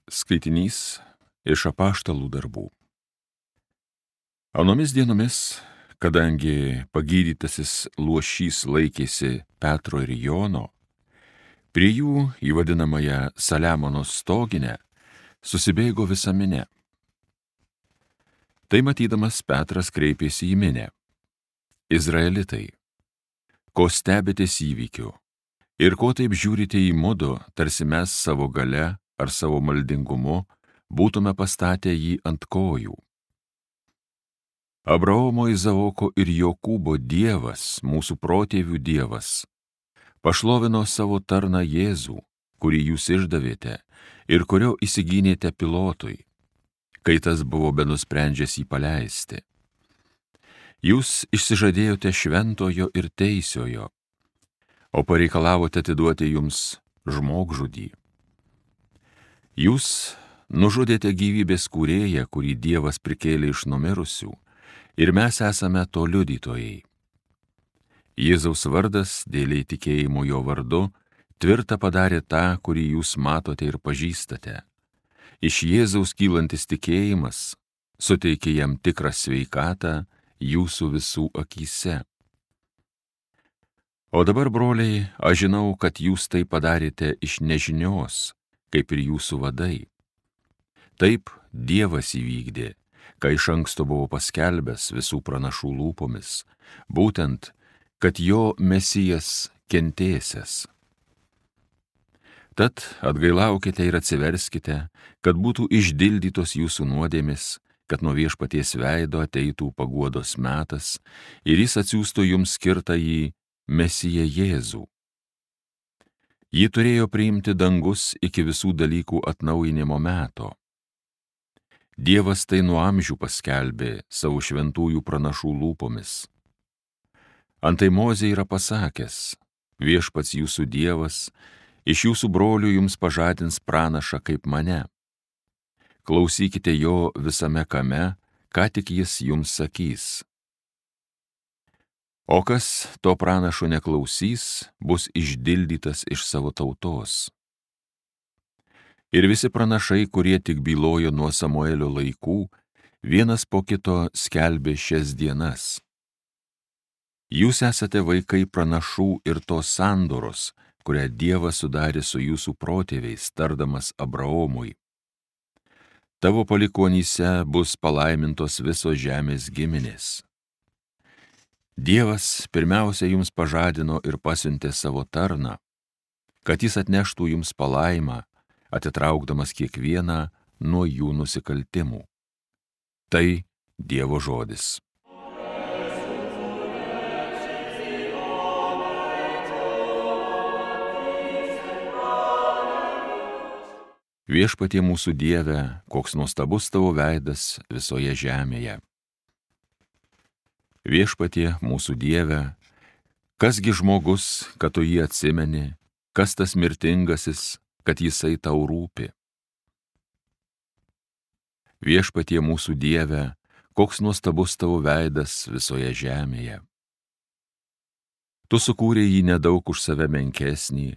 Skaitinys iš apaštalų darbų. Anomis dienomis, kadangi pagydytasis luošys laikėsi Petro ir Jono, prie jų į vadinamąją Saliamono stoginę susibėgo visa minia. Tai matydamas Petras kreipėsi į minią: Izraelitai, ko stebitės įvykiu ir ko taip žiūrite į mudu, tarsi mes savo gale ar savo maldingumu būtume pastatę jį ant kojų. Abraomo, Izaoko ir Jokūbo Dievas, mūsų protėvių Dievas, pašlovino savo tarną Jėzų, kurį jūs išdavėte ir kurio įsigynėte Pilotui, kai tas buvo benusprendžęs jį paleisti. Jūs išsižadėjote šventojo ir teisiojo, o pareikalavote atiduoti jums žmogžudį. Jūs nužudėte gyvybės kūrėją, kurį Dievas prikėlė iš numirusių, ir mes esame to liudytojai. Jėzaus vardas, dėl įtikėjimo jo vardu, tvirtą padarė tą, kurį jūs matote ir pažįstate. Iš Jėzaus kylantis tikėjimas suteikė jam tikrą sveikatą jūsų visų akyse. O dabar, broliai, aš žinau, kad jūs tai padarėte iš nežinios, kaip ir jūsų vadai. Taip Dievas įvykdė, ką iš anksto buvo paskelbęs visų pranašų lūpomis, būtent, kad jo Mesijas kentėsias. Tad atgailaukite ir atsiverskite, kad būtų išdildytos jūsų nuodėmės, kad nuo Viešpaties veido ateitų paguodos metas ir jis atsiųstų jums skirtąjį Mesiją Jėzų. Jį turėjo priimti dangus iki visų dalykų atnaujinimo meto. Dievas tai nuo amžių paskelbė savo šventųjų pranašų lūpomis. Antai Mozė yra pasakęs: Viešpats jūsų Dievas iš jūsų brolių jums pažadins pranašą kaip mane. Klausykite jo visame kame, ką tik jis jums sakys. O kas to pranašo neklausys, bus išdildytas iš savo tautos. Ir visi pranašai, kurie tik bylojo nuo Samuelio laikų, vienas po kito skelbė šias dienas. Jūs esate vaikai pranašų ir tos sandoros, kurią Dievas sudarė su jūsų protėviais, tardamas Abraomui: Tavo palikuonyse bus palaimintos visos žemės giminės. Dievas pirmiausia jums pažadino ir pasiuntė savo tarną, kad jis atneštų jums palaimą, atitraukdamas kiekvieną nuo jų nusikaltimų. Tai Dievo žodis. Viešpatie mūsų Dieve, koks nuostabus tavo veidas visoje žemėje. Viešpatie mūsų Dieve, kasgi žmogus, kad tu jį atsimeni, kas tas mirtingasis, kad jisai tau rūpi. Viešpatie mūsų Dieve, koks nuostabus tavo veidas visoje žemėje. Tu sukūrei jį nedaug už save menkesnį,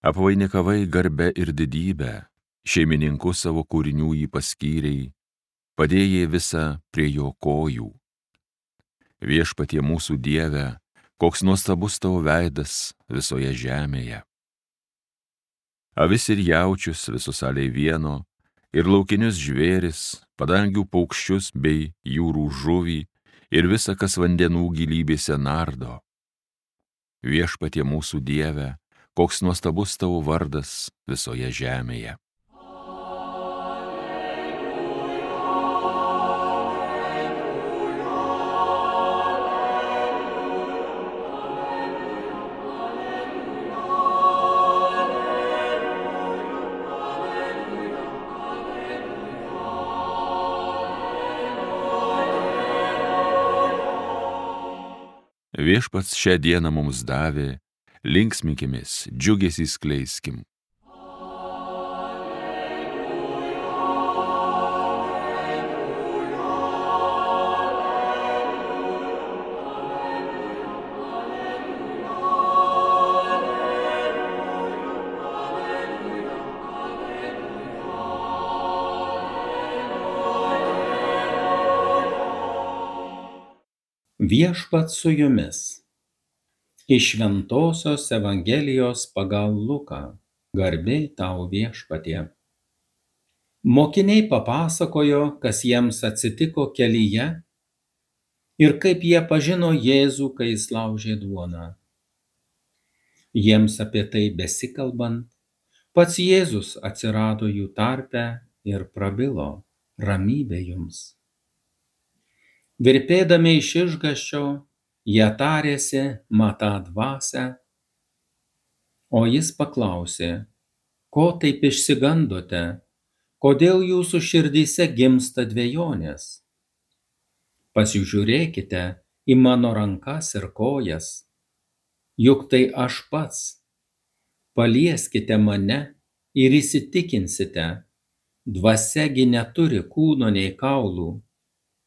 apvainikavai garbe ir didybę, šeimininku savo kūrinių jį paskyrei, padėjai visą prie jo kojų. Viešpatie mūsų Dieve, koks nuostabus tavo veidas visoje žemėje. Avis ir jaučius visus aliai vieno, ir laukinius žvėris, padangių paukščius bei jūrų žuvį, ir visa, kas vandenų gilybėse nardo. Viešpatie mūsų Dieve, koks nuostabus tavo vardas visoje žemėje. Viešpats šią dieną mums davė, linksminkimės, džiugesį skleiskim. Viešpats su jumis. Iš Šventosios Evangelijos pagal Luką. Garbė tau viešpatie. Mokiniai papasakojo, kas jiems atsitiko kelyje ir kaip jie pažino Jėzų, kai jis laužė duoną. Jiems apie tai besikalbant, pats Jėzus atsirado jų tarpe ir prabilo: ramybė jums. Virpėdami iš išgąsčio, jie tarėsi matą dvasią, o jis paklausė: ko taip išsigandote, kodėl jūsų širdyse gimsta dvejonės? Pasižiūrėkite į mano rankas ir kojas, juk tai aš pats. Palieskite mane ir įsitikinsite, dvasiagi neturi kūno nei kaulų,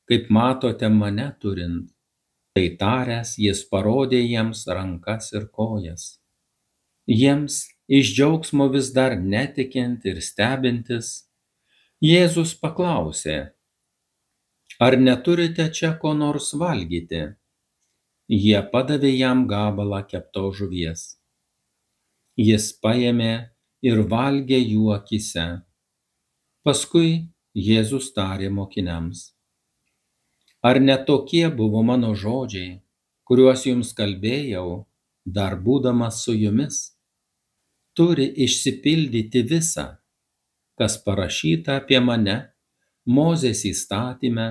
kaip matote mane turint. Tai taręs, jis parodė jiems rankas ir kojas. Jiems iš džiaugsmo vis dar netikint ir stebintis, Jėzus paklausė: ar neturite čia ko nors valgyti? Jie padavė jam gabalą keptos žuvies. Jis paėmė ir valgė jų akyse. Paskui Jėzus tarė mokiniams: ar ne tokie buvo mano žodžiai, kuriuos jums kalbėjau, dar būdamas su jumis? Turi išsipildyti visa, kas parašyta apie mane Mozės įstatyme,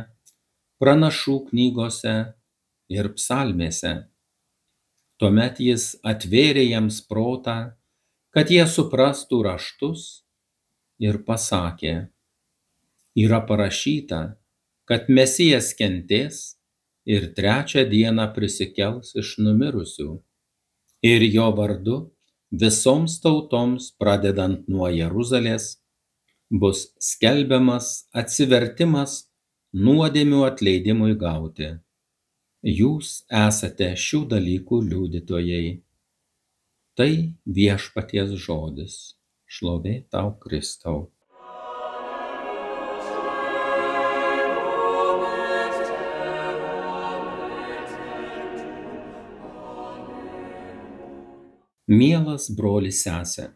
pranašų knygose ir psalmėse. Tuomet jis atvėrė jiems protą, kad jie suprastų raštus, ir pasakė: yra parašyta, kad Mesijas kentės ir trečią dieną prisikels iš numirusių, ir jo vardu visoms tautoms, pradedant nuo Jeruzalės, bus skelbiamas atsivertimas nuodėmių atleidimui gauti. Jūs esate šių dalykų liudytojai. Tai viešpaties žodis. Šlovė tau, Kristau. Mielas brolis sese,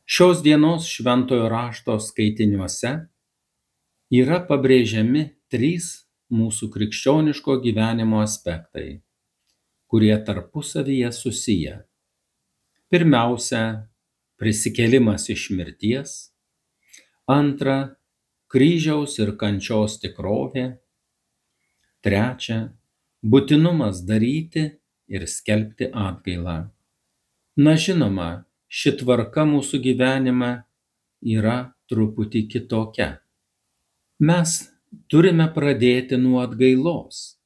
šios dienos šventojo rašto skaitiniuose yra pabrėžiami 3 mūsų krikščioniško gyvenimo aspektai, kurie tarpusavyje susiję. Pirmiausia, prisikėlimas iš mirties. Antra, kryžiaus ir kančios tikrovė. Trečia, būtinumas daryti ir skelbti atgailą. Na žinoma, ši tvarka mūsų gyvenime yra truputį kitokia. Mes turime pradėti nuo atgailos.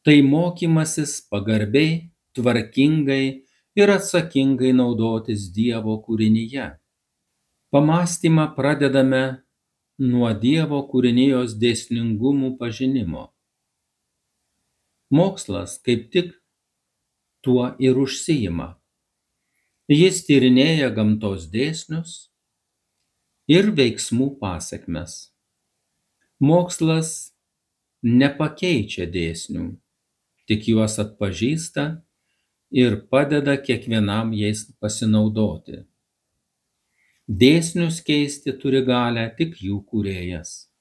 Tai mokymasis pagarbiai, tvarkingai ir atsakingai naudotis Dievo kūrinyje. Pamąstymą pradedame nuo Dievo kūrinijos dėsningumų pažinimo. Mokslas kaip tik tuo ir užsiima. Jis tyrinėja gamtos dėsnius ir veiksmų pasekmes. Mokslas nepakeičia dėsnių, tik juos atpažįsta ir padeda kiekvienam jais pasinaudoti. Dėsnius keisti turi galią tik jų kūrėjas.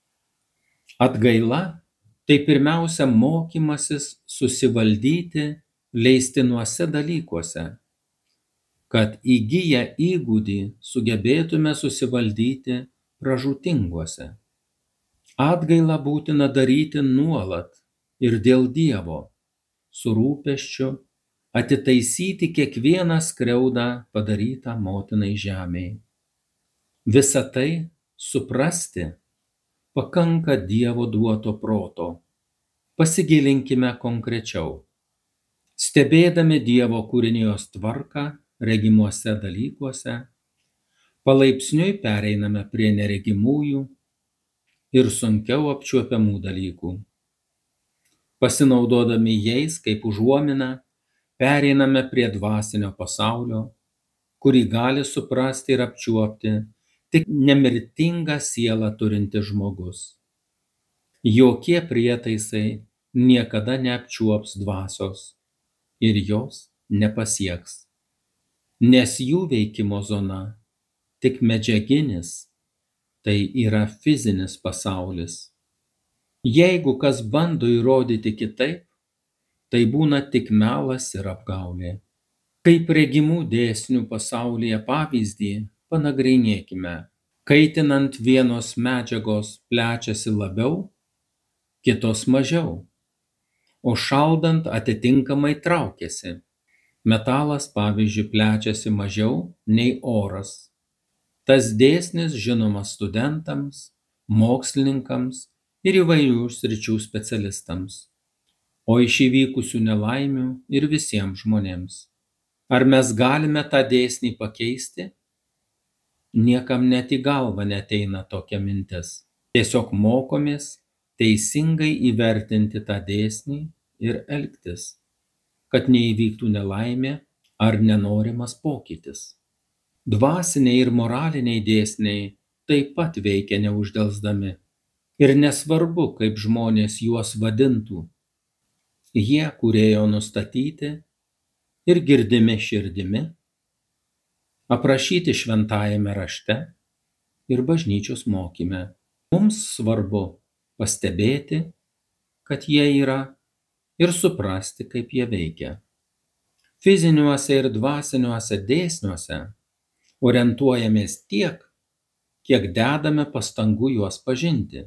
Atgaila tai pirmiausia mokymasis susivaldyti leistinuose dalykuose, kad įgiję įgūdį sugebėtume susivaldyti pražūtinguose. Atgailą būtina daryti nuolat ir dėl Dievo, su rūpesčiu atitaisyti kiekvieną skriaudą padarytą motinai žemei. Visą tai suprasti pakanka Dievo duoto proto. Pasigilinkime konkrečiau. Stebėdami Dievo kūrinijos tvarką regimuose dalykuose, palaipsniui pereiname prie neregimųjų ir sunkiau apčiuopiamų dalykų. Pasinaudodami jais kaip užuomina, pereiname prie dvasinio pasaulio, kurį gali suprasti ir apčiuopti tik nemirtingą sielą turintis žmogus. Jokie prietaisai niekada neapčiuops dvasios ir jos nepasieks, nes jų veikimo zona tik medžiaginis, tai yra fizinis pasaulis. Jeigu kas bando įrodyti kitaip, tai būna tik melas ir apgaulė. Kaip regimų dėsnių pasaulyje pavyzdį panagrinėkime. Kaitinant vienos medžiagos plečiasi labiau, kitos mažiau, o šaldant atitinkamai traukiasi. Metalas, pavyzdžiui, plečiasi mažiau nei oras. Tas dėsnis žinomas studentams, mokslininkams ir įvairių sričių specialistams, o iš įvykusių nelaimių ir visiems žmonėms. Ar mes galime tą dėsnį pakeisti? Niekam net į galvą neateina tokia mintis. Tiesiog mokomės teisingai įvertinti tą dėsnį ir elgtis, kad neįvyktų nelaimė ar nenorimas pokytis. Dvasiniai ir moraliniai dėsniai taip pat veikia neuždelsdami. Ir nesvarbu, kaip žmonės juos vadintų. Jie kūrėjo nustatyti ir girdimi širdimi, aprašyti šventajame rašte ir bažnyčios mokyme. Mums svarbu pastebėti, kad jie yra, ir suprasti, kaip jie veikia. Fiziniuose ir dvasiniuose dėsniuose orientuojamės tiek, kiek dedame pastangų juos pažinti.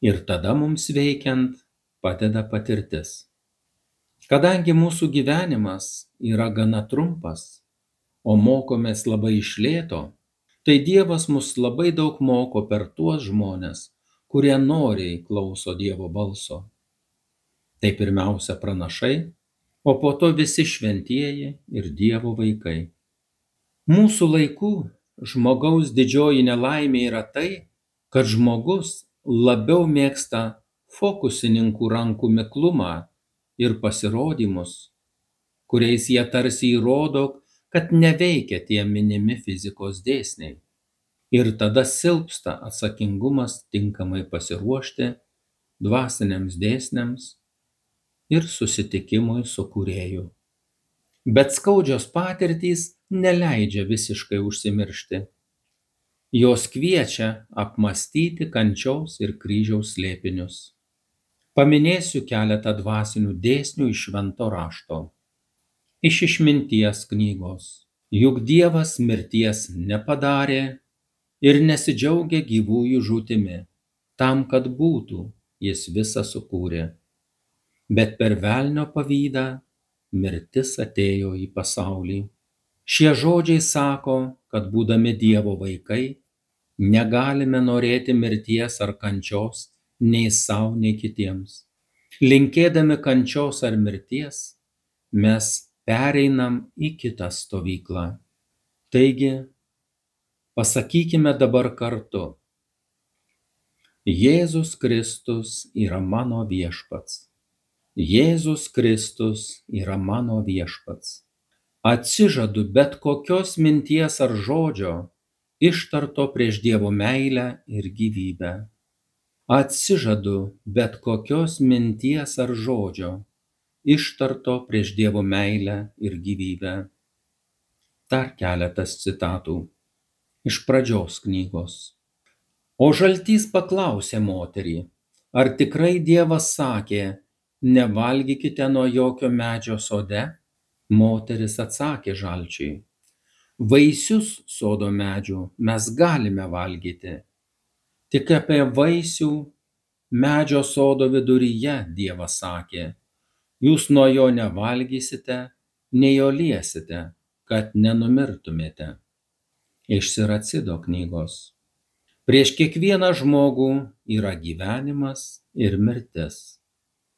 Ir tada mums veikiant padeda patirtis. Kadangi mūsų gyvenimas yra gana trumpas, o mokomės labai iš lėto, tai Dievas mus labai daug moko per tuos žmones, kurie noriai klauso Dievo balso. Tai pirmiausia pranašai, o po to visi šventieji ir Dievo vaikai. Mūsų laikų žmogaus didžioji nelaimė yra tai, kad žmogus labiau mėgsta fokusininkų rankų miklumą ir pasirodymus, kuriais jie tarsi įrodo, kad neveikia tie minimi fizikos dėsniai. Ir tada silpsta atsakingumas tinkamai pasiruošti dvasiniams dėsniams ir susitikimui su Kūrėju. Bet skaudžios patirtys neleidžia visiškai užsimiršti. Jos kviečia apmąstyti kančios ir kryžiaus slėpinius. Paminėsiu keletą dvasinių dėsnių iš Švento rašto. Iš Išminties knygos. Juk Dievas mirties nepadarė ir nesidžiaugia gyvųjų žūtimi, tam, kad būtų, jis visą sukūrė. Bet per velnio pavydą mirtis atėjo į pasaulį. Šie žodžiai sako, kad būdami Dievo vaikai, negalime norėti mirties ar kančios nei sau, nei kitiems. Linkėdami kančios ar mirties, mes pereinam į kitą stovyklą. Taigi, pasakykime dabar kartu: Jėzus Kristus yra mano viešpats. Jėzus Kristus yra mano viešpats. Atsižadu bet kokios minties ar žodžio ištarto prieš Dievo meilę ir gyvybę. Atsižadu bet kokios minties ar žodžio ištarto prieš Dievo meilę ir gyvybę. Dar keletas citatų iš Pradžios knygos. O žaltys paklausė moterį, ar tikrai Dievas sakė, nevalgykite nuo jokio medžio sode? Moteris atsakė žalčiui, vaisius sodo medžių mes galime valgyti, tik apie vaisių medžio sodo viduryje Dievas sakė, jūs nuo jo nevalgysite, nei jo liesite, kad nenumirtumėte. Iš Siracido knygos. Prieš kiekvieną žmogų yra gyvenimas ir mirtis.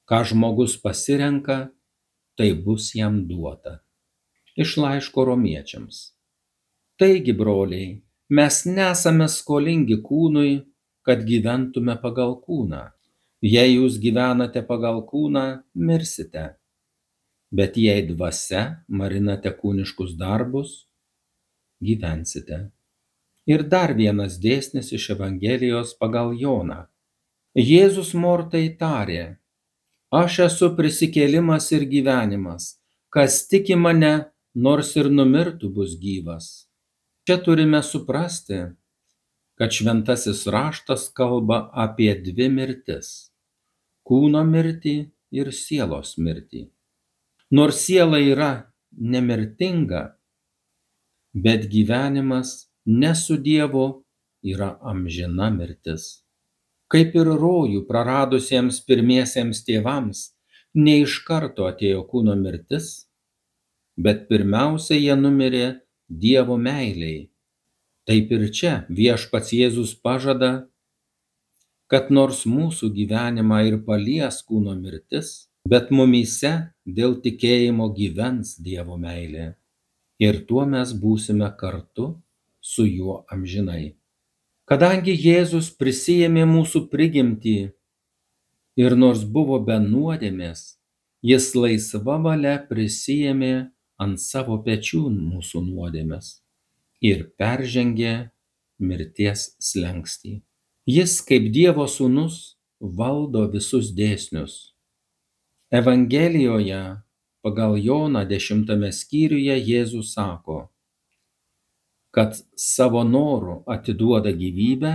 Ką žmogus pasirenka, tai bus jam duota. Iš laiško Romiečiams. Taigi, broliai, mes nesame skolingi kūnui, kad gyventume pagal kūną. Jei jūs gyvenate pagal kūną, mirsite. Bet jei dvasia marinate kūniškus darbus, gyvensite. Ir dar vienas dėsnis iš Evangelijos pagal Joną. Jėzus Mortai tarė, Aš esu prisikėlimas ir gyvenimas. Kas tiki mane, nors ir numirtų, bus gyvas. Čia turime suprasti, kad šventasis raštas kalba apie dvi mirtis – kūno mirtį ir sielos mirtį. Nors siela yra nemirtinga, bet gyvenimas ne su Dievu yra amžina mirtis. Kaip ir rojų praradusiems pirmiesiems tėvams, ne iš karto atėjo kūno mirtis, bet pirmiausia jie numirė Dievo meilei. Taip ir čia viešpats Jėzus pažada, kad nors mūsų gyvenimą ir palies kūno mirtis, bet mumyse dėl tikėjimo gyvens Dievo meilė. Ir tuo mes būsime kartu su juo amžinai. Kadangi Jėzus prisiėmė mūsų prigimtį ir nors buvo be nuodėmės, jis laisva valia prisiėmė ant savo pečių mūsų nuodėmes ir peržengė mirties slenkstį. Jis kaip Dievo sūnus valdo visus dėsnius. Evangelijoje pagal Joną 10 skyriuje Jėzus sako, kad savo noru atiduoda gyvybę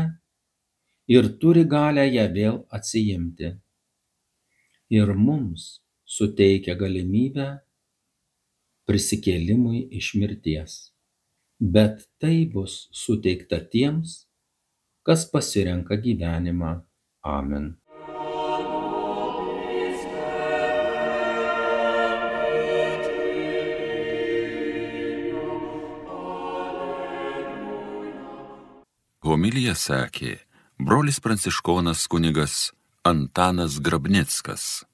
ir turi galią ją vėl atsiimti. Ir mums suteikia galimybę prisikėlimui iš mirties. Bet tai bus suteikta tiems, kas pasirenka gyvenimą. Amen. Homiliją sakė brolis pranciškonas kunigas Antanas Grabnickas.